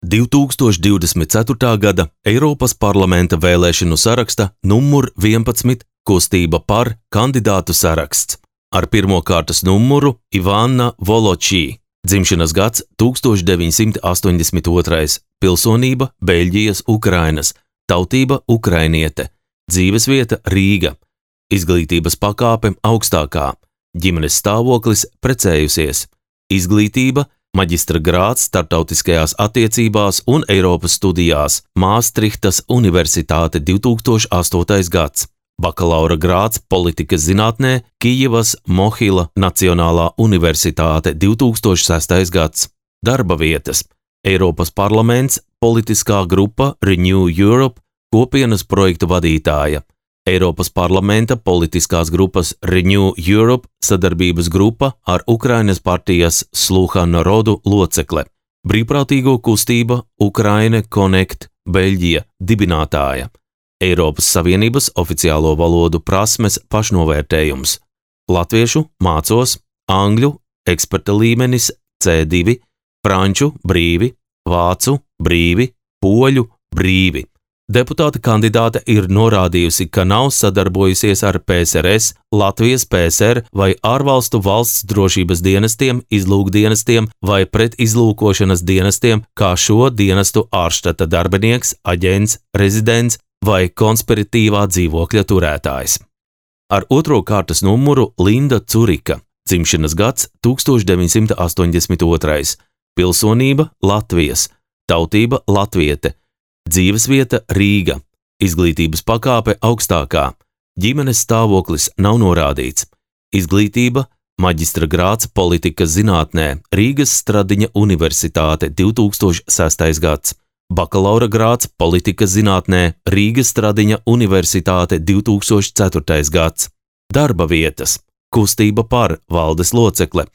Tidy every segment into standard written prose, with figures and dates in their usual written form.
2024. gada Eiropas parlamenta vēlēšanu saraksta numur 11 kustība par kandidātu saraksts. Ar pirmo kārtas numuru Ivana Voločī, dzimšanas gads 1982, pilsonība Beļģijas Ukrainas, tautība ukrainiete, dzīvesvieta Rīga, izglītības pakāpe augstākā, ģimenes stāvoklis precējusies, izglītība maģistra grāds starptautiskajās attiecībās un Eiropas studijās, Māstrihtas Universitāte 2008. gads, bakalaura grāds politikas zinātnē, Kijevas Mohila Nacionālā Universitāte 2006. gads, darba vietas, Eiropas parlaments, politiskā grupa Renew Europe, kopienas projektu vadītāja, Eiropas parlamenta politiskās grupas Renew Europe sadarbības grupa ar Ukrainas partijas Sluha Narodu locekle, brīvprātīgo kustība Ukraine Connect Beļģija dibinātāja, Eiropas Savienības oficiālo valodu prasmes pašnovērtējums, latviešu mācos, angļu eksperta līmenis C2, franču brīvi, vācu brīvi, poļu brīvi. Deputāta kandidāte ir norādījusi, ka nav sadarbojusies ar PSRS, Latvijas PSR vai ārvalstu valsts drošības dienestiem, izlūkdienestiem vai pretizlūkošanas dienestiem, kā šo dienestu ārštata darbinieks, aģents, rezidents vai konspiratīvā dzīvokļa turētājs. Ar otro kārtas numuru Linda Curika, dzimšanas gads 1982, pilsonība Latvijas, tautība latviete, dzīvesvieta Rīga, izglītības pakāpe augstākā, ģimenes stāvoklis nav norādīts, izglītība maģistra grāds politikas zinātnē, Rīgas Stradiņa Universitāte 2006. gads, bakalaura grāds politikas zinātnē, Rīgas Stradiņa Universitāte 2004. gads, darba vietas, kustība par valdes locekle,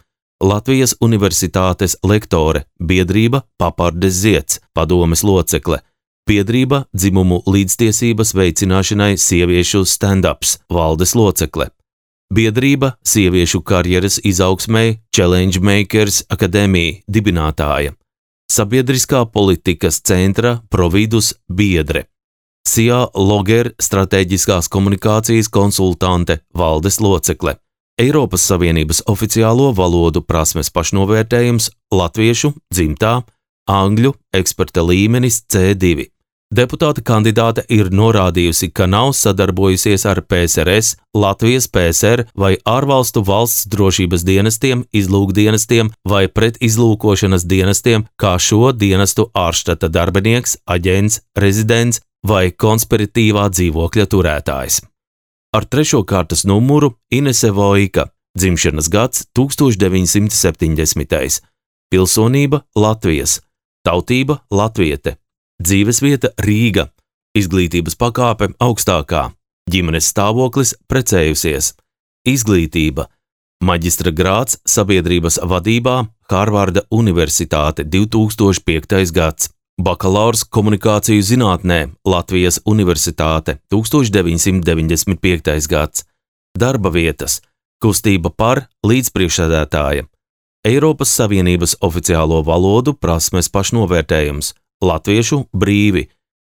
Latvijas Universitātes lektore, biedrība Papardes Zieds, padomes locekle, biedrība dzimumu līdztiesības veicināšanai sieviešu stand-ups, valdes locekle, biedrība sieviešu karjeras izaugsmei Challenge Makers Akadēmija dibinātāja, sabiedriskā politikas centra Providus biedre, Sia Loger strateģiskās komunikācijas konsultante, valdes locekle, Eiropas Savienības oficiālo valodu prasmes pašnovērtējums latviešu dzimtā, angļu eksperta līmenis C2. Deputāta kandidāte ir norādījusi, ka nav sadarbojusies ar PSRS, Latvijas PSR vai ārvalstu valsts drošības dienestiem, izlūkdienestiem vai pretizlūkošanas dienestiem, kā šo dienestu ārštata darbinieks, aģents, rezidents vai konspiratīvā dzīvokļa turētājs. Ar trešo kārtas numuru Inese Vojka, dzimšanas gads 1970. Pilsonība Latvijas, tautība latviete, dzīvesvieta Rīga, izglītības pakāpe augstākā, ģimenes stāvoklis precējusies, izglītība, maģistra grāds sabiedrības vadībā Harvarda Universitāte 2005. gads, bakalaurs komunikāciju zinātnē Latvijas Universitāte 1995. gads, darba vietas, kustība par līdzpriekšsēdētāja, Eiropas Savienības oficiālo valodu prasmes pašnovērtējums, latviešu brīvi,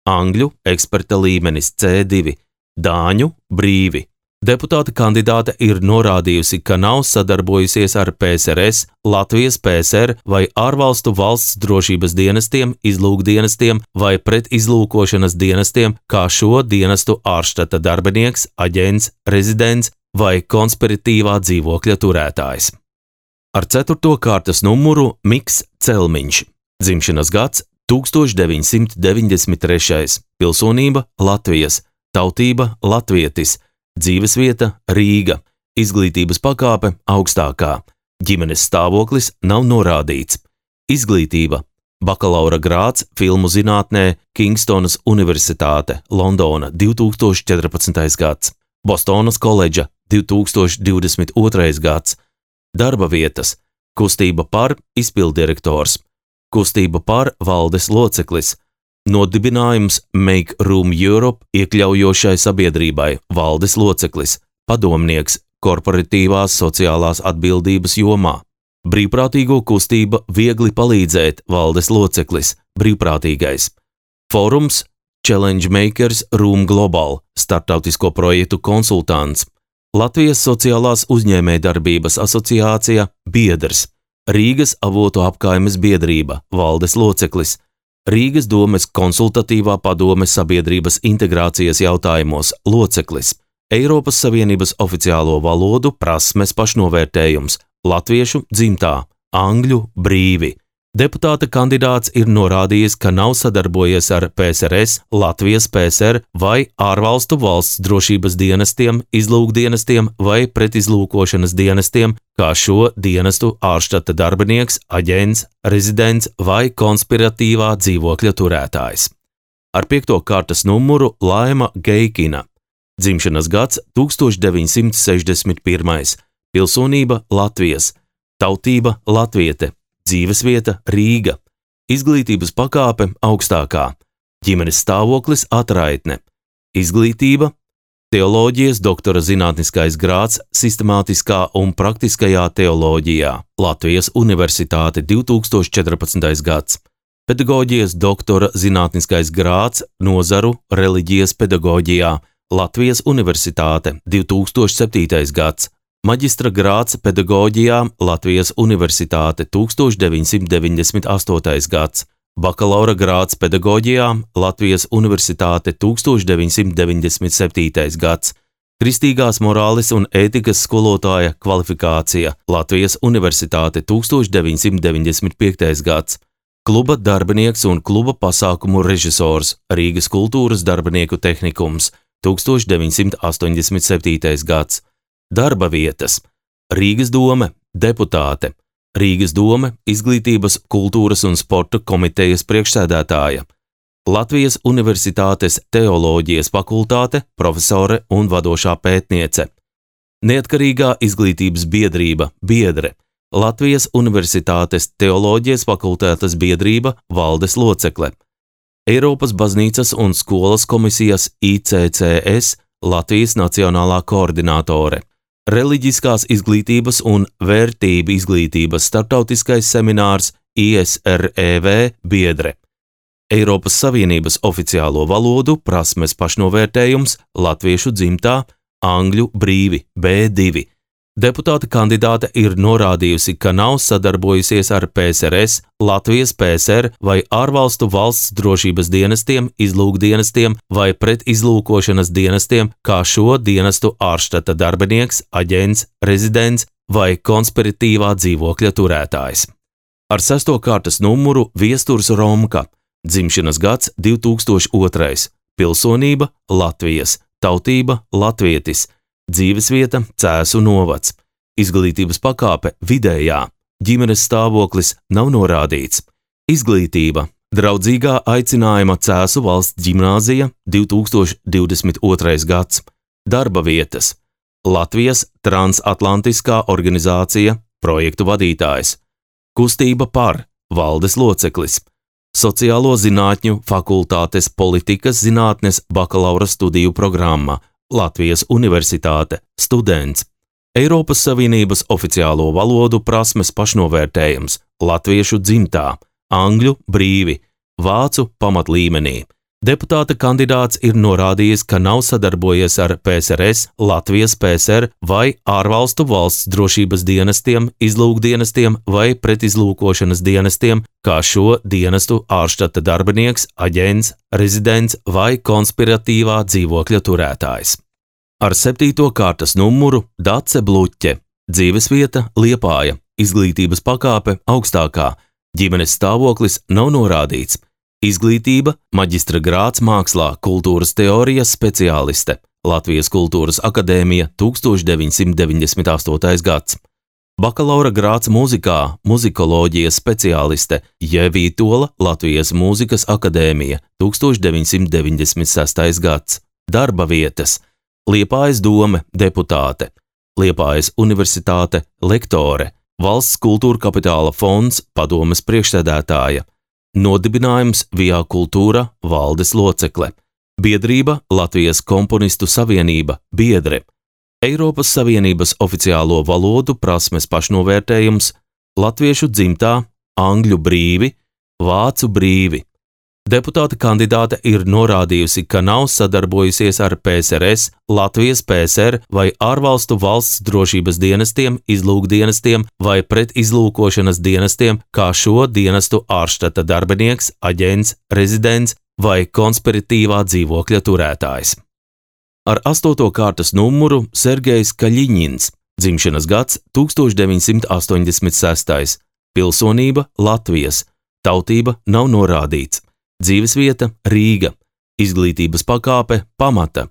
angļu eksperta līmenis C2, dāņu brīvi. Deputāta kandidāte ir norādījusi, ka nav sadarbojusies ar PSRS, Latvijas PSR vai ārvalstu valsts drošības dienestiem, izlūkdienestiem vai pretizlūkošanas dienestiem, kā šo dienestu ārštata darbinieks, aģents, rezidents vai konspiratīvā dzīvokļa turētājs. Ar ceturto kārtas numuru Miks Celmiņš, dzimšanas gads 1993. Pilsonība Latvijas, tautība latvietis, dzīvesvieta Rīga, izglītības pakāpe augstākā, ģimenes stāvoklis nav norādīts, izglītība, bakalaura grāds filmu zinātnē Kingstonas Universitāte, Londona 2014. gads, Bostonas koledža 2022. gads, darba vietas, kustība par izpilddirektors, kustība par valdes loceklis, nodibinājums Make Room Europe iekļaujošai sabiedrībai, valdes loceklis, padomnieks korporatīvās sociālās atbildības jomā, brīvprātīgo kustība Viegli palīdzēt, valdes loceklis, brīvprātīgais. Fórums Challenge Makers Room Global, starptautisko projektu konsultants. Latvijas sociālās uzņēmējdarbības asociācija biedrs. Rīgas avotu apkaimes biedrība, valdes loceklis. Rīgas domes konsultatīvā padome sabiedrības integrācijas jautājumos loceklis. Eiropas Savienības oficiālo valodu prasmes pašnovērtējums, latviešu dzimtā, angļu brīvi. Deputāta kandidāts ir norādījis, ka nav sadarbojies ar PSRS, Latvijas PSR vai ārvalstu valsts drošības dienestiem, izlūkdienestiem vai pretizlūkošanas dienestiem, kā šo dienestu ārštata darbinieks, aģents, rezidents vai konspiratīvā dzīvokļa turētājs. Ar 5. kārtas numuru Laima Geikina. Dzimšanas gads 1961. Pilsonība Latvijas. Tautība latviete. Dzīvesvieta Rīga. Izglītības pakāpe augstākā. Ģimenes stāvoklis atraitne. Izglītība teoloģijas doktora zinātniskais grāds sistemātiskā un praktiskajā teoloģijā. Latvijas Universitāte 2014. gads. Pedagoģijas doktora zinātniskais grāds nozaru reliģijas pedagoģijā. Latvijas Universitāte 2007. gads. Maģistra grāds pedagoģijā Latvijas Universitāte 1998. gads. Bakalaura grāds pedagoģijā Latvijas Universitāte 1997. gads. Kristīgās morāles un ētikas skolotāja kvalifikācija Latvijas Universitāte 1995. gads. Kluba darbinieks un kluba pasākumu režisors Rīgas kultūras darbinieku tehnikums 1987. gads. Darba vietas. Rīgas dome, deputāte. Rīgas dome, izglītības, kultūras un sporta komitejas priekšsēdētāja. Latvijas Universitātes teoloģijas fakultāte, profesore un vadošā pētniece. Neatkarīgā izglītības biedrība, biedre. Latvijas Universitātes teoloģijas fakultātes biedrība, valdes locekle. Eiropas baznīcas un skolas komisijas ICCS, Latvijas nacionālā koordinātore. Reliģiskās izglītības un vērtību izglītības starptautiskais seminārs ISREV biedre. Eiropas Savienības oficiālo valodu prasmes pašnovērtējums latviešu dzimtā, angļu brīvi B2. Deputāta kandidāte ir norādījusi, ka nav sadarbojusies ar PSRS, Latvijas PSR vai ārvalstu valsts drošības dienestiem, izlūkdienestiem vai pretizlūkošanas dienestiem, kā šo dienestu ārštata darbinieks, aģents, rezidents vai konspiratīvā dzīvokļa turētājs. Ar 6. kārtas numuru Viesturs Romka. Dzimšanas gads 2002. Pilsonība Latvijas. Tautība latvietis. Dzīvesvieta Cēsu novads. Izglītības pakāpe vidējā. Ģimenes stāvoklis nav norādīts. Izglītība. Draudzīgā aicinājuma Cēsu valsts ģimnāzija 2022. gads. Darba vietas. Latvijas transatlantiskā organizācija, projektu vadītājs. Kustība par, valdes loceklis. Sociālo zinātņu fakultātes politikas zinātnes bakalaura studiju programma. Latvijas Universitāte, students. Eiropas Savienības oficiālo valodu prasmes pašnovērtējums, latviešu dzimtā, angļu brīvi, vācu pamatlīmenī. Deputāta kandidāts ir norādījis, ka nav sadarbojies ar PSRS, Latvijas PSR vai ārvalstu valsts drošības dienestiem, izlūkdienestiem vai pretizlūkošanas dienestiem, kā šo dienestu ārštata darbinieks, aģents, rezidents vai konspiratīvā dzīvokļa turētājs. Ar 7. kārtas numuru Dace Bluķe. Dzīvesvieta Liepāja. Izglītības pakāpe augstākā. Ģimenes stāvoklis nav norādīts. Izglītība, maģistra grāds mākslā, kultūras teorijas speciāliste, Latvijas Kultūras akadēmija 1998. gads. Bakalaura grāds mūzikā, muzikoloģijas speciāliste, Jevītola, Latvijas Mūzikas akadēmija 1996. gads. Darba vietas. Liepājas dome, deputāte. Liepājas Universitāte, lektore. Valsts kultūra kapitāla fonds, padomes priekšsēdētāja. Nodibinājums Via Kultūra, valdes locekle. Biedrība Latvijas komponistu savienība, biedre. Eiropas Savienības oficiālo valodu prasmes pašnovērtējums, latviešu dzimtā, angļu brīvi, vācu brīvi. Deputāta kandidāte ir norādījusi, ka nav sadarbojusies ar PSRS, Latvijas PSR vai ārvalstu valsts drošības dienestiem, izlūkdienestiem vai pretizlūkošanas dienestiem, kā šo dienestu ārštata darbinieks, aģents, rezidents vai konspiratīvā dzīvokļa turētājs. Ar 8. kārtas numuru Sergejs Kaļiņins, dzimšanas gads 1986, pilsonība Latvijas, tautība nav norādīts. Dzīvesvieta Rīga, izglītības pakāpe pamata,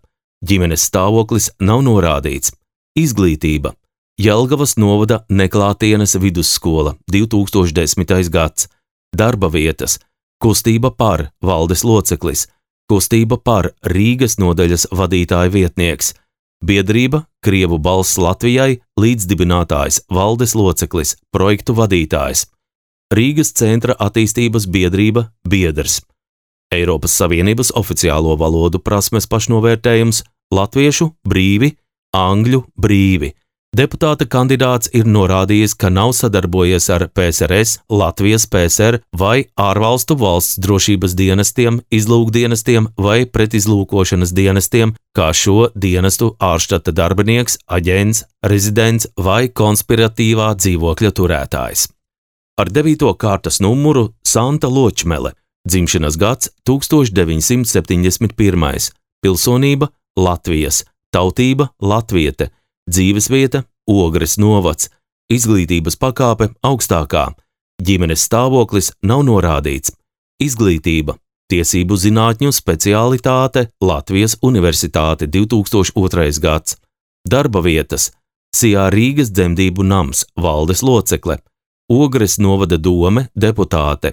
ģimenes stāvoklis nav norādīts, izglītība Jelgavas novada Neklātienes vidusskola 2010. gads, darba vietas kustība par valdes loceklis, kustība par Rīgas nodaļas vadītāja vietnieks, biedrība Krievu balss Latvijai līdzdibinātājs valdes loceklis, projektu vadītājs, Rīgas centra attīstības biedrība biedrs. Eiropas Savienības oficiālo valodu prasmes pašnovērtējums latviešu brīvi, angļu brīvi. Deputāta kandidāts ir norādījis, ka nav sadarbojies ar PSRS, Latvijas PSR vai ārvalstu valsts drošības dienestiem, izlūkdienestiem vai pretizlūkošanas dienestiem, kā šo dienestu ārštata darbinieks, aģents, rezidents vai konspiratīvā dzīvokļa turētājs. Ar 9. kārtas numuru Santa Ločmele, dzimšanas gads 1971, pilsonība Latvijas, tautība latviete, dzīvesvieta Ogres novads, izglītības pakāpe augstākā, ģimenes stāvoklis nav norādīts, izglītība tiesību zinātņu speciālitāte Latvijas Universitāte 2002. gads, darba vietas Sijā Rīgas dzemdību nams, valdes locekle, Ogres novada dome deputāte,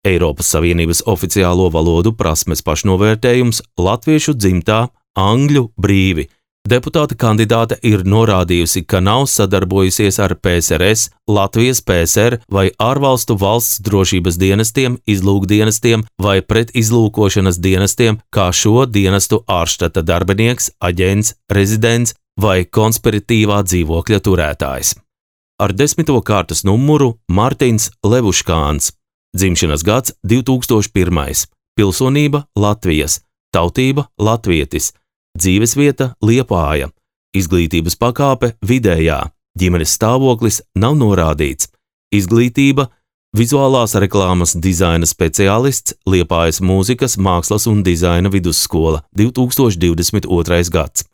Eiropas Savienības oficiālo valodu prasmes pašnovērtējums latviešu dzimtā, angļu brīvi. Deputāta kandidāte ir norādījusi, ka nav sadarbojusies ar PSRS, Latvijas PSR vai ārvalstu valsts drošības dienestiem, izlūkdienestiem vai pretizlūkošanas dienestiem, kā šo dienestu ārštata darbinieks, aģents, rezidents vai konspiratīvā dzīvokļa turētājs. Ar 10. kārtas numuru Mārtiņš Levuškāns, dzimšanas gads 2001, pilsonība Latvijas, tautība latvietis, dzīvesvieta Liepāja, izglītības pakāpe vidējā, ģimenes stāvoklis nav norādīts, izglītība vizuālās reklāmas dizaina speciālists Liepājas mūzikas, mākslas un dizaina vidusskola 2022. gads,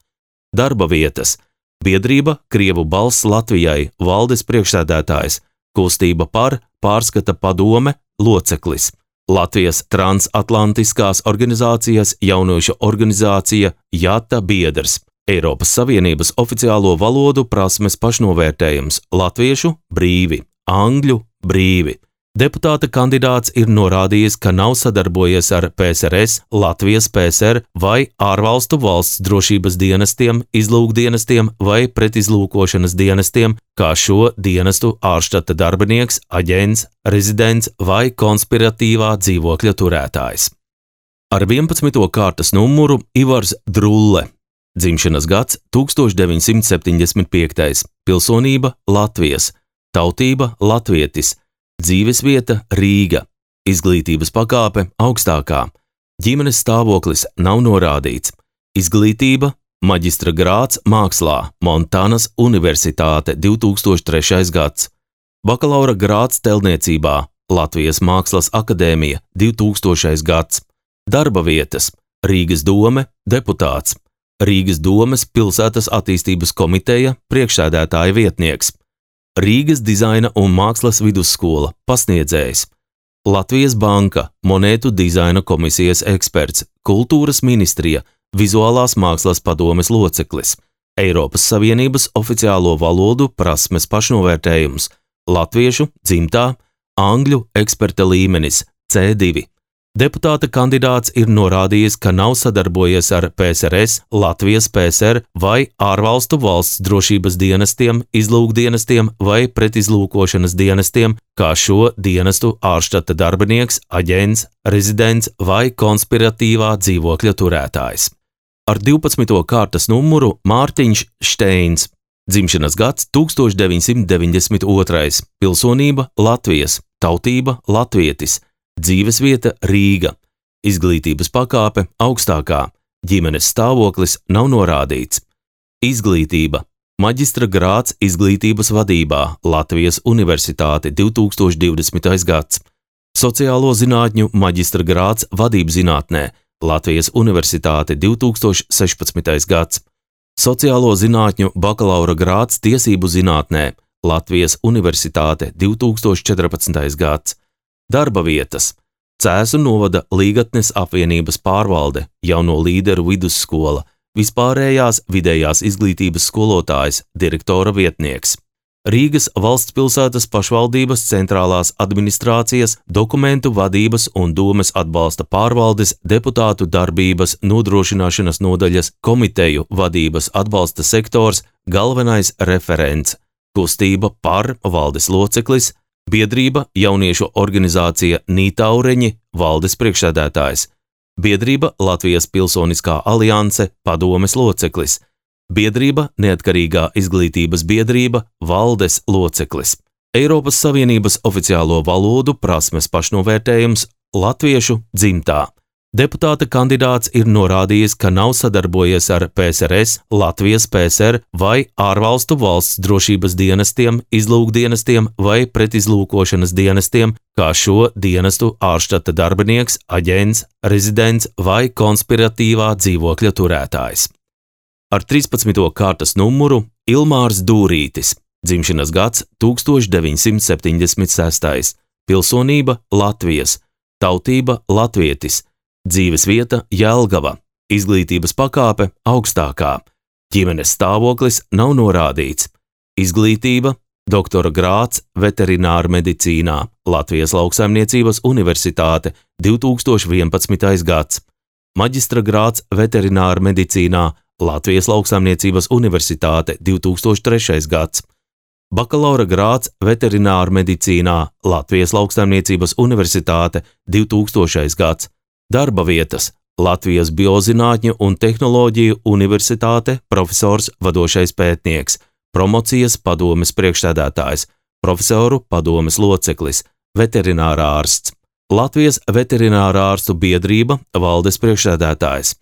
darba vietas biedrība Krievu balss Latvijai, valdes priekšsēdētājs, kustība par pārskata padome loceklis, Latvijas transatlantiskās organizācijas jauniešu organizācija JATA biedrs, Eiropas Savienības oficiālo valodu prasmes pašnovērtējums latviešu brīvi, angļu brīvi. Deputāta kandidāts ir norādījis, ka nav sadarbojies ar PSRS, Latvijas PSR vai ārvalstu valsts drošības dienestiem, izlūkdienestiem vai pretizlūkošanas dienestiem, kā šo dienestu ārštata darbinieks, aģents, rezidents vai konspiratīvā dzīvokļa turētājs. Ar 11. kārtas numuru Ivars Drulle, dzimšanas gads 1975, pilsonība Latvijas, tautība latvietis, dzīvesvieta Rīga, izglītības pakāpe augstākā, ģimenes stāvoklis nav norādīts, izglītība maģistra grāds mākslā, Montānas Universitāte 2003. gads, bakalaura grāds teltniecībā, Latvijas Mākslas akadēmija 2000. gads, darba vietas Rīgas dome deputāts, Rīgas domes pilsētas attīstības komiteja priekšsēdētāja vietnieks, Rīgas dizaina un mākslas vidusskola pasniedzējs, Latvijas banka monētu dizaina komisijas eksperts, kultūras ministrija, vizuālās mākslas padomes loceklis, Eiropas Savienības oficiālo valodu prasmes pašnovērtējums, latviešu dzimtā, angļu eksperta līmenis C2. Deputāta kandidāts ir norādījis, ka nav sadarbojies ar PSRS, Latvijas PSR vai ārvalstu valsts drošības dienestiem, izlūkdienestiem vai pretizlūkošanas dienestiem, kā šo dienestu ārštata darbinieks, aģents, rezidents vai konspiratīvā dzīvokļa turētājs. Ar 12. kārtas numuru Mārtiņš Šteins, dzimšanas gads 1992, pilsonība Latvijas, tautība latvietis, dzīvesvieta Rīga, izglītības pakāpe augstākā, ģimenes stāvoklis nav norādīts. Izglītība, maģistra grāds izglītības vadībā, Latvijas Universitāte 2020. gads. Sociālo zinātņu maģistra grāds vadības zinātnē, Latvijas Universitāte 2016. gads. Sociālo zinātņu bakalaura grāds tiesību zinātnē, Latvijas Universitāte 2014. gads. Darba vietas. Cēsu novada Līgatnes apvienības pārvalde, jauno līderu vidusskola, vispārējās vidējās izglītības skolotājs, direktora vietnieks. Rīgas valsts pilsētas pašvaldības centrālās administrācijas, dokumentu vadības un domes atbalsta pārvaldes deputātu darbības nodrošināšanas nodaļas komiteju vadības atbalsta sektors galvenais referents, kustība par valdes loceklis, biedrība jauniešu organizācija Nītaureņi valdes priekšsēdētājs, biedrība Latvijas Pilsoniskā alianse padomes loceklis, biedrība Neatkarīgā izglītības biedrība valdes loceklis, Eiropas Savienības oficiālo valodu prasmes pašnovērtējums latviešu dzimtā. Deputāta kandidāts ir norādījis, ka nav sadarbojies ar PSRS, Latvijas PSR vai ārvalstu valsts drošības dienestiem, izlūkdienestiem vai pretizlūkošanas dienestiem, kā šo dienestu ārštata darbinieks, aģents, rezidents vai konspiratīvā dzīvokļa turētājs. Ar 13. kārtas numuru Ilmārs Dūrītis, dzimšanas gads 1976, pilsonība Latvijas, tautība latvietis, dzīvesvieta Jelgava, izglītības pakāpe augstākā, ģimenes stāvoklis nav norādīts, izglītība, doktora grāds veterināra medicīnā, Latvijas Lauksaimniecības Universitāte 2011. gads, maģistra grāds veterināra medicīnā, Latvijas Lauksaimniecības Universitāte 2003. gads, bakalaura grāds veterināra medicīnā, Latvijas Lauksaimniecības Universitāte 2000. gads, darba vietas, Latvijas Biozinātņu un tehnoloģiju universitāte, profesors, vadošais pētnieks, promocijas padomes priekšsēdētājs, profesoru padomes loceklis, veterinārā ārsts, Latvijas veterinārā ārstu biedrība, valdes priekšsēdētājs,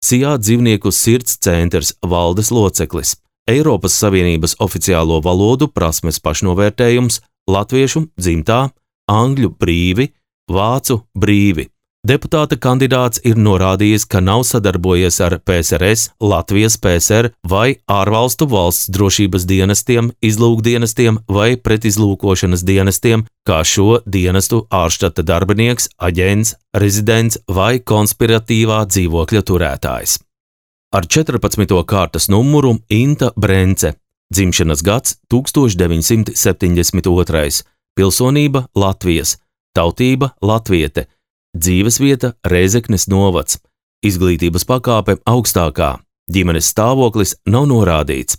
Sijā dzīvnieku sirds centrs, valdes loceklis, Eiropas Savienības oficiālo valodu prasmes pašnovērtējums, latviešu dzimtā, angļu brīvi, vācu brīvi. Deputāta kandidāts ir norādījis, ka nav sadarbojies ar PSRS, Latvijas PSR vai ārvalstu valsts drošības dienestiem, izlūkdienestiem vai pretizlūkošanas dienestiem, kā šo dienestu ārštata darbinieks, aģents, rezidents vai konspiratīvā dzīvokļa turētājs. Ar 14. kārtas numuru Inta Brence, dzimšanas gads 1972, pilsonība Latvijas, tautība latviete, dzīvesvieta Rēzeknes novads, izglītības pakāpe augstākā, ģimenes stāvoklis nav norādīts,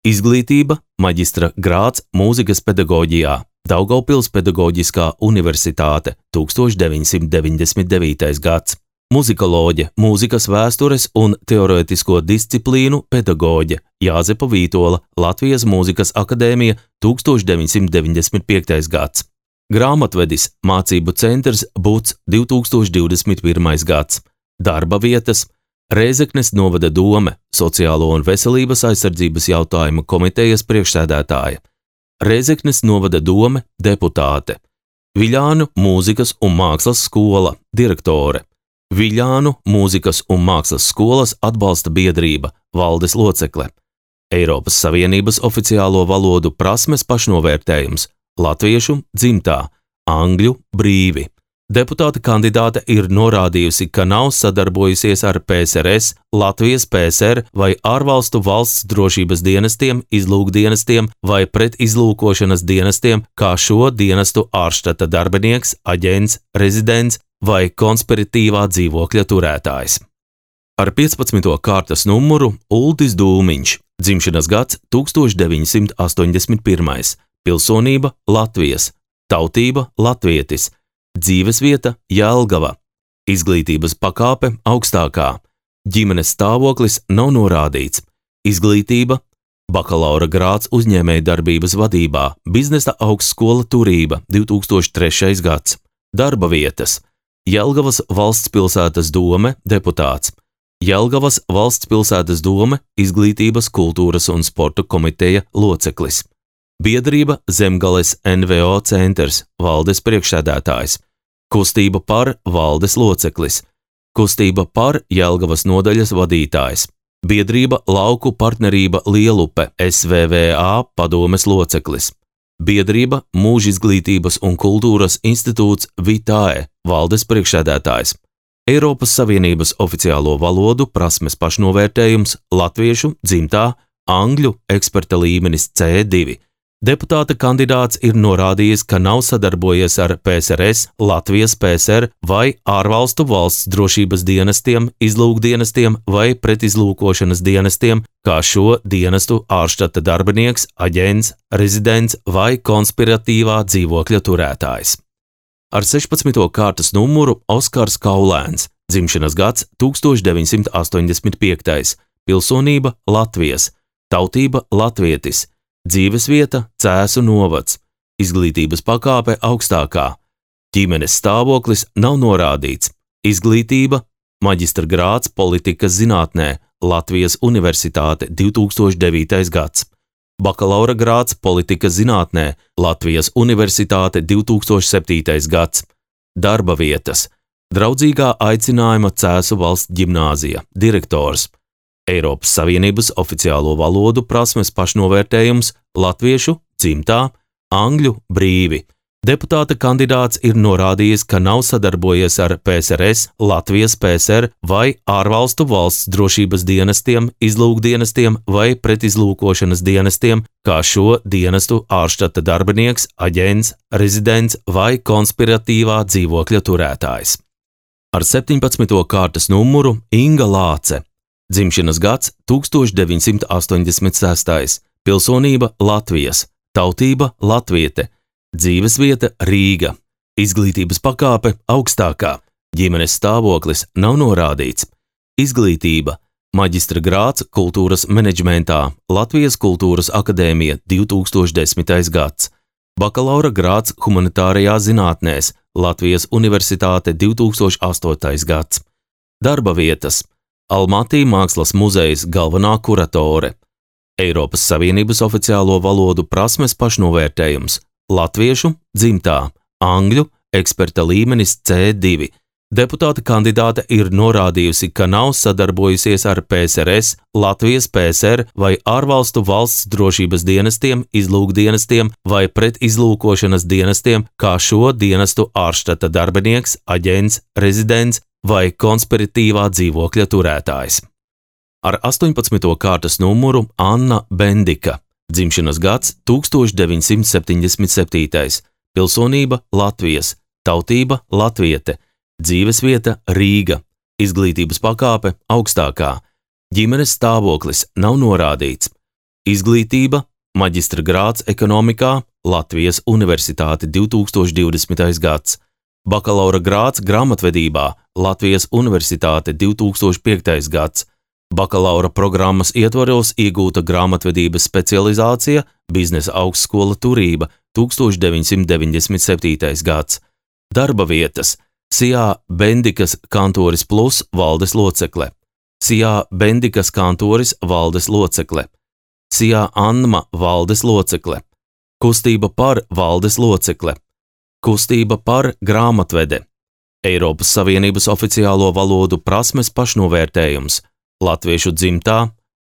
izglītība, maģistra grāds mūzikas pedagoģijā, Daugavpils pedagoģiskā universitāte 1999. gads, muzikoloģe, mūzikas vēstures un teorētisko disciplīnu pedagoģe, Jāzepa Vītola, Latvijas Mūzikas akadēmija 1995. gads. Grāmatvedis, mācību centrs Buts 2021. gads, darba vietas, Rēzeknes novada dome, sociālo un veselības aizsardzības jautājumu komitejas priekšsēdētāja, Rēzeknes novada dome, deputāte, Viļānu mūzikas un mākslas skola, direktore, Viļānu mūzikas un mākslas skolas atbalsta biedrība, valdes locekle, Eiropas Savienības oficiālo valodu prasmes pašnovērtējums, latviešu dzimtā, angļu brīvi. Deputāta kandidāte ir norādījusi, ka nav sadarbojusies ar PSRS, Latvijas PSR vai ārvalstu valsts drošības dienestiem, izlūkdienestiem vai pretizlūkošanas dienestiem, kā šo dienestu ārštata darbinieks, aģents, rezidents vai konspiratīvā dzīvokļa turētājs. Ar 15. kārtas numuru Uldis Dūmiņš, dzimšanas gads 1981. Pilsonība Latvijas, tautība latvietis, dzīvesvieta Jelgava, izglītības pakāpe augstākā, ģimenes stāvoklis nav norādīts, izglītība, bakalaura grāds uzņēmējdarbības vadībā, biznesa augstskola turība 2003. gads, Darba vietas. Jelgavas valsts pilsētas dome deputāts. Jelgavas valsts pilsētas dome izglītības, kultūras un sporta komiteja loceklis. Biedrība Zemgales NVO centrs valdes priekšsēdētājs. Kustība par valdes loceklis. Kustība par Jelgavas nodaļas vadītājs. Biedrība Lauku partnerība Lielupe SVVA padomes loceklis. Biedrība Mūža izglītības un kultūras institūts Vitae valdes priekšsēdētājs. Eiropas Savienības oficiālo valodu prasmes pašnovērtējums latviešu, dzimtā, angļu eksperta līmenis C2. Deputāta kandidāts ir norādījis, ka nav sadarbojies ar PSRS, Latvijas PSR vai ārvalstu valsts drošības dienestiem, izlūkdienestiem vai pretizlūkošanas dienestiem, kā šo dienestu ārštata darbinieks, aģents, rezidents vai konspiratīvā dzīvokļa turētājs. Ar 16. kārtas numuru Oskars Kaulēns, dzimšanas gads 1985, pilsonība Latvijas, tautība latvietis, dzīvesvieta Cēsu novads, izglītības pakāpe augstākā, ģimenes stāvoklis nav norādīts, izglītība maģistra grāds politikas zinātnē, Latvijas Universitāte 2009. gads, bakalaura grāds politikas zinātnē, Latvijas Universitāte 2007. gads, darba vietas, draudzīgā aicinājuma Cēsu valsts ģimnāzija, direktors, Eiropas Savienības oficiālo valodu prasmes pašnovērtējums latviešu, dzimtā, angļu brīvi. Deputāta kandidāts ir norādījis, ka nav sadarbojies ar PSRS, Latvijas PSR vai ārvalstu valsts drošības dienestiem, izlūkdienestiem vai pretizlūkošanas dienestiem, kā šo dienestu ārštata darbinieks, aģents, rezidents vai konspiratīvā dzīvokļa turētājs. Ar 17. kārtas numuru Inga Lāce. Dzimšanas gads 1986, pilsonība Latvijas, tautība latviete, dzīvesvieta Rīga, izglītības pakāpe augstākā, ģimenes stāvoklis nav norādīts, izglītība, maģistra grāds kultūras menedžmentā, Latvijas Kultūras akadēmija 2010. gads, bakalaura grāds humanitārajā zinātnēs, Latvijas Universitāte 2008. gads, darba vietas, Almatī Mākslas muzejs galvenā kuratore, Eiropas Savienības oficiālo valodu prasmes pašnovērtējums, latviešu, dzimtā, angļu, eksperta līmenis C2. Deputāta kandidāte ir norādījusi, ka nav sadarbojusies ar PSRS, Latvijas PSR vai ārvalstu valsts drošības dienestiem, izlūkdienestiem vai pretizlūkošanas dienestiem, kā šo dienestu ārštata darbinieks, aģents, rezidents vai konspiratīvā dzīvokļa turētājs. Ar 18. kārtas numuru Anna Bendika, dzimšanas gads 1977, pilsonība Latvijas, tautība latviete, dzīvesvieta Rīga, izglītības pakāpe augstākā, ģimenes stāvoklis nav norādīts, izglītība, maģistra grāds ekonomikā, Latvijas Universitāte 2020. gads, bakalaura grāds grāmatvedībā, Latvijas Universitāte 2005. gads, bakalaura programmas ietvaros iegūta grāmatvedības specializācija, biznesa augstskola Turība 1997. gads, darba vietas, Sijā Bendikas kantoris plus valdes locekle, Sijā Bendikas kantoris valdes locekle, Sijā Anma valdes locekle, kustība par valdes locekle, kustība par grāmatvede, Eiropas Savienības oficiālo valodu prasmes pašnovērtējums, latviešu dzimtā,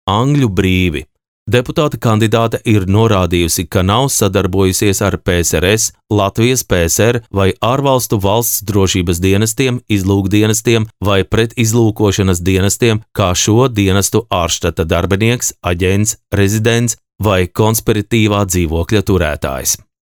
angļu brīvi. Deputāta kandidāte ir norādījusi, ka nav sadarbojusies ar PSRS, Latvijas PSR vai ārvalstu valsts drošības dienestiem, izlūkdienestiem vai pretizlūkošanas dienestiem, kā šo dienestu ārštata darbinieks, aģents, rezidents vai konspiratīvā dzīvokļa turētājs.